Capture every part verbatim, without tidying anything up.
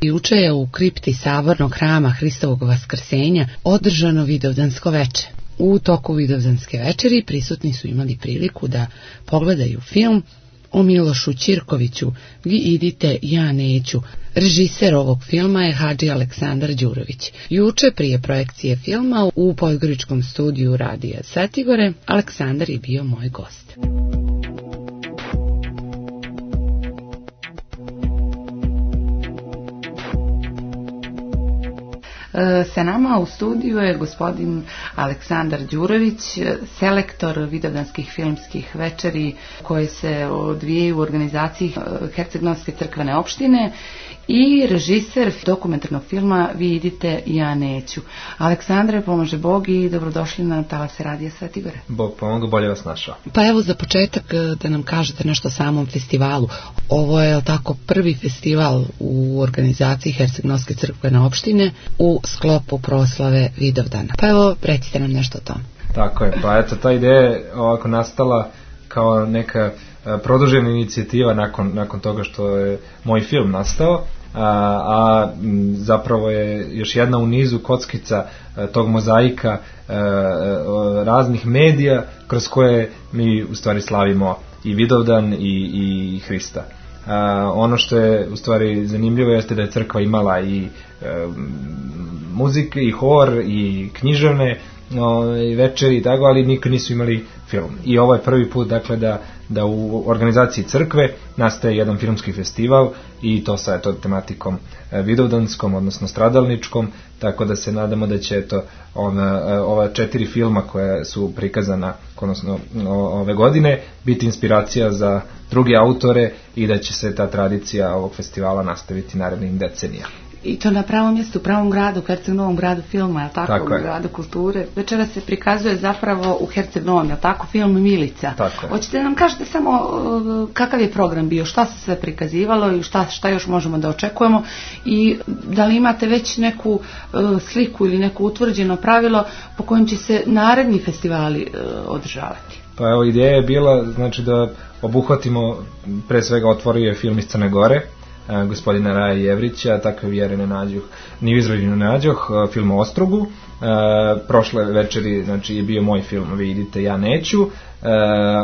Juče je u kripti Sabornog hrama Hristovog vaskrsenja održano vidovdansko veče. U toku vidovdanske večeri prisutni su imali priliku da pogledaju film o Milošu Ćirkoviću Vi idite, ja neću. Režiser ovog filma je Hadži Aleksandar Đurović. Juče prije projekcije filma u podgoričkom studiju Radija Svetigore Aleksandar je bio moj gost. Sa nama u studiju je gospodin Aleksandar Đurović, selektor vidovdanskih filmskih večeri koje se odvijaju u organizaciji Herceg-Novosadske crkvene opštine i režiser dokumentarnog filma Vi idite, ja neću. Aleksandre, pomože Bog i dobrodošli na talase Radija Svetigore. Bog pomoga, bolje vas našao. Pa evo za početak da nam kažete nešto o samom festivalu. Ovo je tako prvi festival u organizaciji Herceg-Novosadske crkvene opštine u sklopu proslave Vidovdana. Pa evo, recite nam nešto o tom. Tako je, pa eto, ta ideja je ovako nastala kao neka produžena inicijativa nakon, nakon toga što je moj film nastao, a, a zapravo je još jedna u nizu kockica a, tog mozaika a, a, raznih medija kroz koje mi u stvari slavimo i Vidovdan i, i Hrista. A, ono što je u stvari zanimljivo jeste da je crkva imala i e, muzike i hor i književne o, i večeri i tako, ali nikad nisu imali film. I ovo je prvi put dakle da, da u organizaciji crkve nastaje jedan filmski festival i to sa eto, tematikom e, vidovdanskom, odnosno stradalničkom, tako da se nadamo da će eto, ova, ova četiri filma koja su prikazana odnosno ove godine biti inspiracija za druge autore i da će se ta tradicija ovog festivala nastaviti narednim decenijama. I to na pravom mjestu, u pravom gradu, u Herceg-Novom gradu filma, je tako, tako u gradu kulture. Večera se prikazuje zapravo u Herceg-Novom, je tako, film Milica. Tako je. Hoćete nam kažete samo uh, kakav je program bio, šta se sve prikazivalo i šta, šta još možemo da očekujemo i da li imate već neku uh, sliku ili neko utvrđeno pravilo po kojem će se naredni festivali uh, održavati? Pa evo, ideja je bila znači da obuhvatimo, pre svega otvorio je film iz Crne Gore, gospodina Raja Jevrića, takve vjere ne nađoh, ni u Izraelju ne nađoh, film o Ostrogu. E, prošle večeri znači, je bio moj film Vi idite, ja neću. E,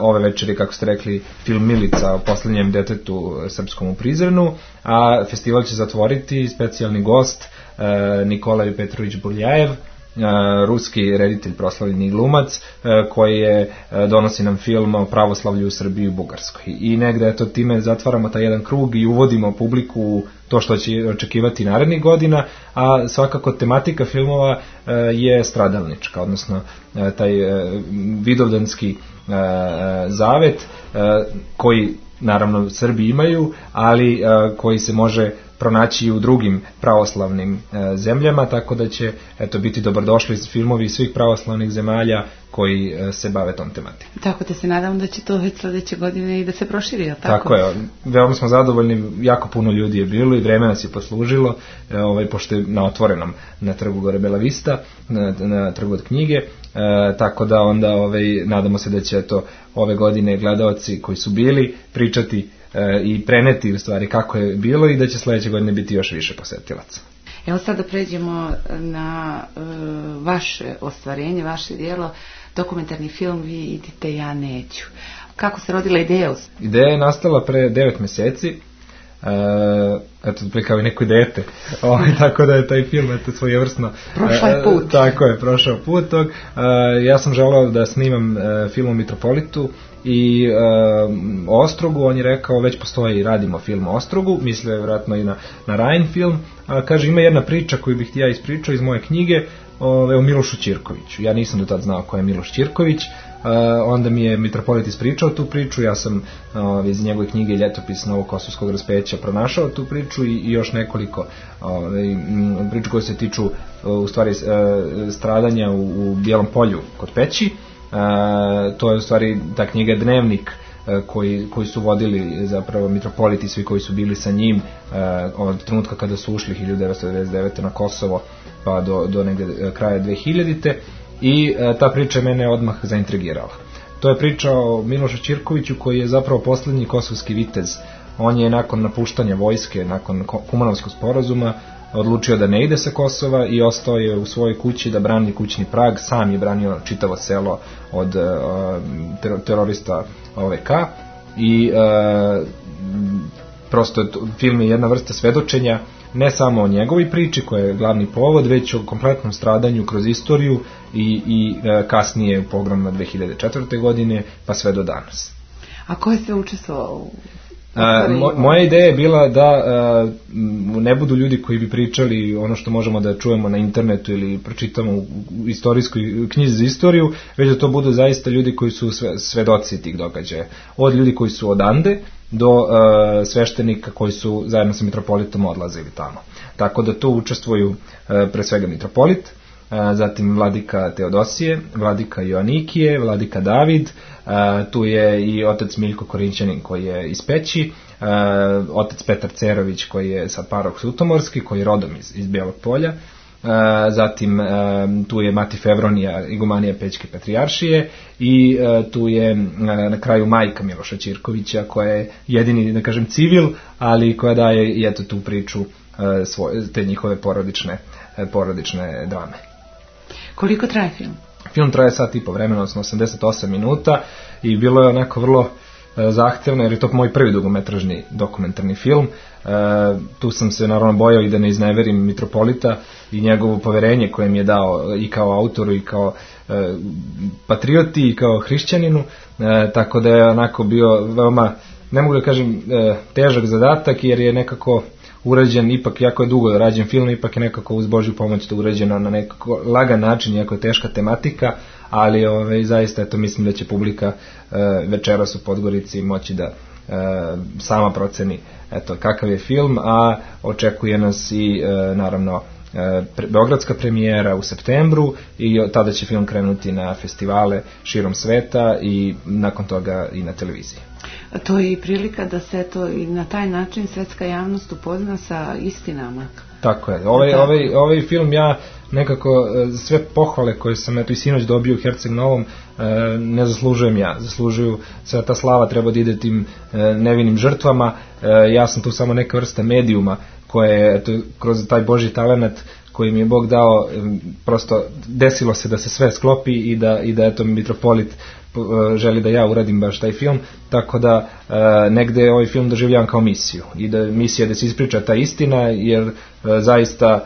ove večeri, kako ste rekli, film Milica o posljednjem detetu srpskom u Prizrenu, a festival će zatvoriti specijalni gost e, Nikolaj Petrović Burljajev, ruski reditelj, proslavljeni glumac, koji je donosi nam film o pravoslavlju u Srbiji i u Bugarskoj. I negde eto time zatvaramo taj jedan krug i uvodimo publiku u to što će očekivati narednih godina, a svakako tematika filmova je stradalnička, odnosno taj vidovdanski zavet koji naravno Srbi imaju, ali koji se može pronaći u drugim pravoslavnim e, zemljama, tako da će eto biti dobrodošli filmovi svih pravoslavnih zemalja koji e, se bave tom tematikom. Tako da se nadam da će to već sledeće godine i da se proširi, je tako? Tako je, veoma smo zadovoljni, jako puno ljudi je bilo i vreme nas je poslužilo, e, ovaj, pošto je na otvorenom na trgu gore Bela Vista, na, na trgu od knjige, e, tako da onda ovaj, nadamo se da će eto, ove godine gledalci koji su bili pričati i preneti u stvari kako je bilo i da će sledeće godine biti još više posetilaca. Evo sad da pređemo na uh, vaše ostvarenje, vaše djelo, dokumentarni film Vi idite, ja neću. Kako se rodila ideja? Ideja je nastala pre devet meseci. Uh, eto, kao i neko dete, o, tako da je taj film eto, svojevrsno prošao je put. Uh, tako je, prošao put tog. Uh, ja sam želeo da snimam uh, film o Mitropolitu i uh, o Ostrogu. On je rekao, već postoji i radimo film o Ostrogu, mislio je vjerojatno i na, na Rajin film, a kaže, ima jedna priča koju bih ti ja ispričao iz moje knjige o, o Milošu Ćirkoviću. Ja nisam do tad znao ko je Miloš Ćirković. Uh, onda mi je Mitropolit ispričao tu priču, ja sam uh, iz njegove knjige Ljetopis Novog Kosovskog raspeća pronašao tu priču i, i još nekoliko uh, priča koje se tiču uh, u stvari uh, stradanja u, u Bijelom polju kod Peći. Uh, to je u stvari ta knjiga Dnevnik uh, koji, koji su vodili zapravo Mitropoliti, svi koji su bili sa njim uh, od trenutka kada su ušli hiljadu devetsto devedeset devete na Kosovo pa do, do negde kraja dve hiljadite. I e, ta priča mene odmah zaintrigirala. To je priča o Milošu Ćirkoviću koji je zapravo poslednji kosovski vitez on je nakon napuštanja vojske, nakon Kumanovskog sporazuma, odlučio da ne ide sa Kosova i ostao je u svojoj kući da brani kućni prag, sam je branio čitavo selo od uh, terorista O V K i uh, prosto film je jedna vrsta svedočenja ne samo o njegovoj priči koja je glavni povod, već o kompletnom stradanju kroz istoriju i, i uh, kasnije u pogromima dve hiljade četvrte. godine pa sve do danas. A ko je sve učestvovao u A, mo, moja ideja je bila da a, ne budu ljudi koji bi pričali ono što možemo da čujemo na internetu ili pročitamo u, u istorijskoj knjizi za istoriju, već da to budu zaista ljudi koji su sve, svedoci tih događaja. Od ljudi koji su odande do a, sveštenika koji su zajedno sa mitropolitom odlazili tamo. Tako da tu učestvuju a, pre svega mitropolit, a, zatim vladika Teodosije, vladika Joanikije, vladika David, a, tu je i otac Miljko Korinćanin koji je iz Peći, a, otac Petar Cerović koji je sad parok Sutomorski, koji je rodom iz, iz Bijelog Polja, a, zatim a, tu je Mati Fevronija, igumanija Pećke patrijaršije i a, tu je a, na kraju majka Miloša Ćirkovića koja je jedini, da kažem, civil, ali koja daje i eto tu priču a, svoje, te njihove porodične, a, porodične drame. Koliko traje film? Film traje sat i po vremena, odnosno osamdeset osam minuta i bilo je onako vrlo e, zahtevno, jer je to moj prvi dugometražni dokumentarni film. E, tu sam se naravno bojao i da ne izneverim mitropolita i njegovo poverenje koje mi je dao i kao autoru i kao e, patrioti i kao hrišćaninu, e, tako da je onako bio veoma, ne mogu da kažem, e, težak zadatak, jer je nekako urađen, ipak jako je dugo rađen film, ipak je nekako uz Božju pomoć to urađeno na nekako lagan način, jako je teška tematika, ali ove, zaista eto, mislim da će publika e, večeras u Podgorici moći da e, sama proceni eto, kakav je film, a očekuje nas i e, naravno e, pre, beogradska premijera u septembru i tada će film krenuti na festivale širom sveta i nakon toga i na televiziji. To je i prilika da se to i na taj način svetska javnost upozna sa istinama. Tako je. Ovaj, ovaj, ovaj film ja nekako sve pohvale koje sam eto i sinoć dobio u Herceg Novom ne zaslužujem ja. Zaslužuju, sva ta slava treba da ide tim nevinim žrtvama. Ja sam tu samo neka vrsta medijuma koje eto, kroz taj Božji talenat koji mi je Bog dao, prosto desilo se da se sve sklopi i da, i da eto mitropolit želi da ja uradim baš taj film, tako da e, negde ovaj film doživljavam kao misiju i da misija da se ispriča ta istina, jer e, zaista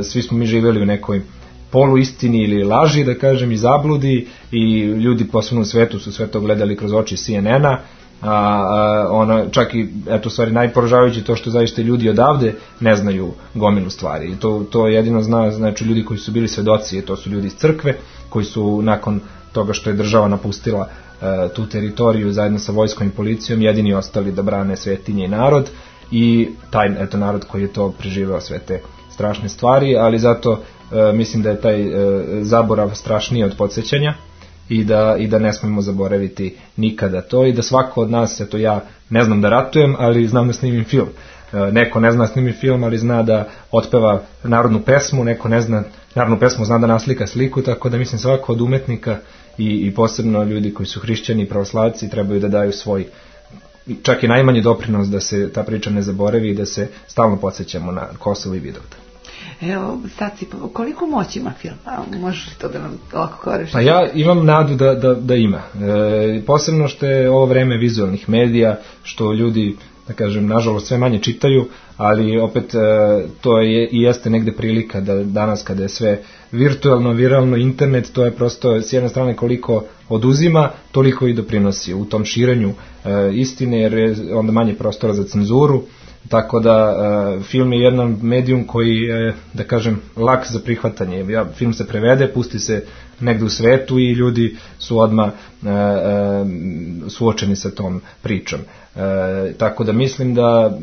e, svi smo mi živjeli u nekoj poluistini ili laži, da kažem, i zabludi i ljudi posebno u svetu su sve to gledali kroz oči C N N-a, a, a ona, čak i, eto, stvari najporažavajuće to što zaista ljudi odavde ne znaju gomilu stvari i to, to jedino zna, znači ljudi koji su bili svedoci, to su ljudi iz crkve koji su nakon toga što je država napustila e, tu teritoriju zajedno sa vojskom i policijom jedini ostali da brane svetinje i narod i taj eto narod koji je to preživeo sve te strašne stvari, ali zato e, mislim da je taj e, zaborav strašniji od podsjećanja i da, i da ne smemo zaboraviti nikada to i da svako od nas, eto ja ne znam da ratujem, ali znam da snimim film. E, neko ne zna da snimi film, ali zna da otpeva narodnu pesmu, neko ne zna narodnu pesmu, zna da naslika sliku, tako da mislim svako od umetnika i, i posebno ljudi koji su hrišćani i pravoslavci trebaju da daju svoj čak i najmanji doprinos da se ta priča ne zaboravi i da se stalno podsjećamo na Kosovo i Vidovdan. Evo, sad si, koliko moći ima film? A, možeš li to da nam ovako koriš? Pa ja imam nadu da, da, da ima. E, posebno što je ovo vreme vizualnih medija, što ljudi, da kažem, nažalost sve manje čitaju, ali opet e, to je i jeste negde prilika da danas kada je sve virtualno, viralno, internet, to je prosto s jedne strane koliko oduzima, toliko i doprinosi u tom širenju e, istine, jer je onda manje prostora za cenzuru, tako da e, film je jedan medijum koji je, da kažem, lak za prihvatanje. Ja, film se prevede, pusti se negde u svetu i ljudi su odmah e, e, suočeni sa tom pričom. E, tako da mislim da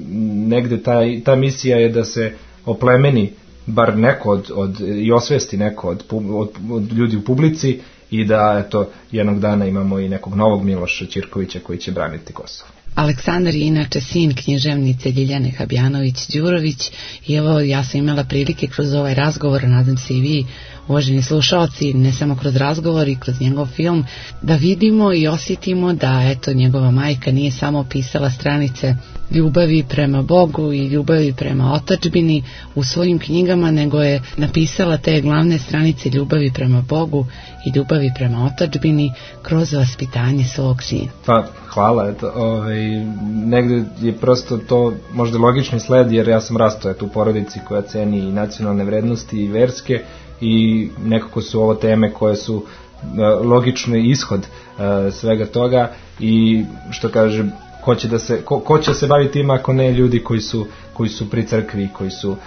negde ta, ta misija je da se oplemeni bar neko od, od, i osvesti neko od, od, od ljudi u publici i da eto jednog dana imamo i nekog novog Miloša Ćirkovića koji će braniti Kosovo. Aleksandar je inače sin književnice Ljiljane Habjanović-Đurović i evo ja sam imala prilike kroz ovaj razgovor, nadam se i vi uvaženi slušaoci, ne samo kroz razgovor i kroz njegov film, da vidimo i osjetimo da eto njegova majka nije samo pisala stranice ljubavi prema Bogu i ljubavi prema otadžbini u svojim knjigama, nego je napisala te glavne stranice ljubavi prema Bogu i ljubavi prema otadžbini kroz vaspitanje svog sina. Pa, hvala, eto, ovaj, negde je prosto to možda logični sled, jer ja sam rastao eto u porodici koja ceni i nacionalne vrednosti i verske, i nekako su ovo teme koje su uh, logični ishod uh, svega toga, i što kaže, ko će da se, ko, ko će se baviti tim ako ne ljudi koji su, koji su pri crkvi, koji su uh,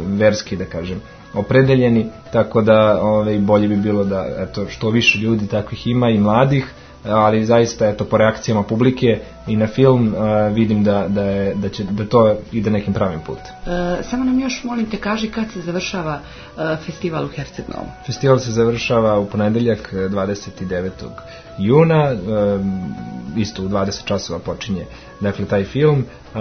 verski, da kažem, opredeljeni, tako da ovaj, bolje bi bilo da eto, što više ljudi takvih ima i mladih, ali zaista eto, po reakcijama publike i na film uh, vidim da, da, je, da, će, da to ide nekim pravim putem. E, samo nam još molim te kaži kad se završava uh, festival u Herceg-Novom. Festival se završava u ponedeljak dvadeset devetog juna, um, isto u dvadeset časova počinje dakle taj film. Uh,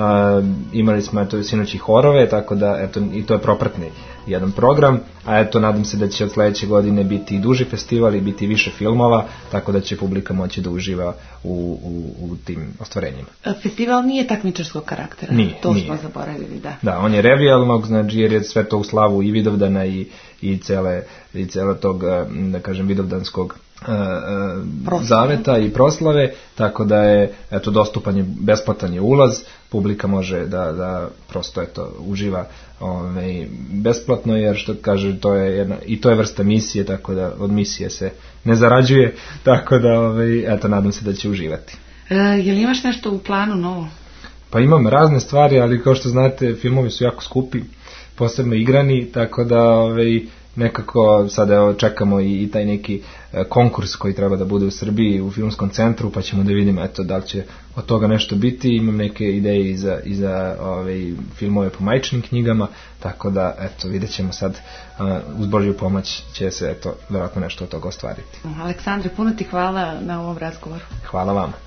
imali smo eto sinoći horove, tako da eto i to je propratni jedan program, a eto nadam se da će od sledeće godine biti i duži festival i biti više filmova, tako da će publika moći da uživa u, u, u tim ostvarenjima. Festival nije takmičarskog karaktera, nije, to nije. smo zaboravili, da. Da, on je revijalnog, znači jer je sve to u slavu i Vidovdana i, i cele, i cele tog, da kažem, vidovdanskog Uh, zaveta i proslave, tako da je eto dostupan je, besplatan je ulaz, publika može da, da prosto eto uživa ovaj, besplatno, jer što kaže to je jedna, i to je vrsta misije, tako da od misije se ne zarađuje, tako da ovaj, eto nadam se da će uživati. E, je li imaš nešto u planu novo? Pa imam razne stvari, ali kao što znate filmovi su jako skupi, posebno igrani, tako da ovaj, nekako sada evo, čekamo i, i taj neki e, konkurs koji treba da bude u Srbiji u filmskom centru, pa ćemo da vidimo eto, da li će od toga nešto biti. Imam neke ideje i za, i za ove, filmove po majčinim knjigama, tako da eto, vidjet ćemo sad, a, uz Božju pomoć će se eto, vjerojatno nešto od toga ostvariti. Aleksandre, puno ti hvala na ovom razgovoru. Hvala vama.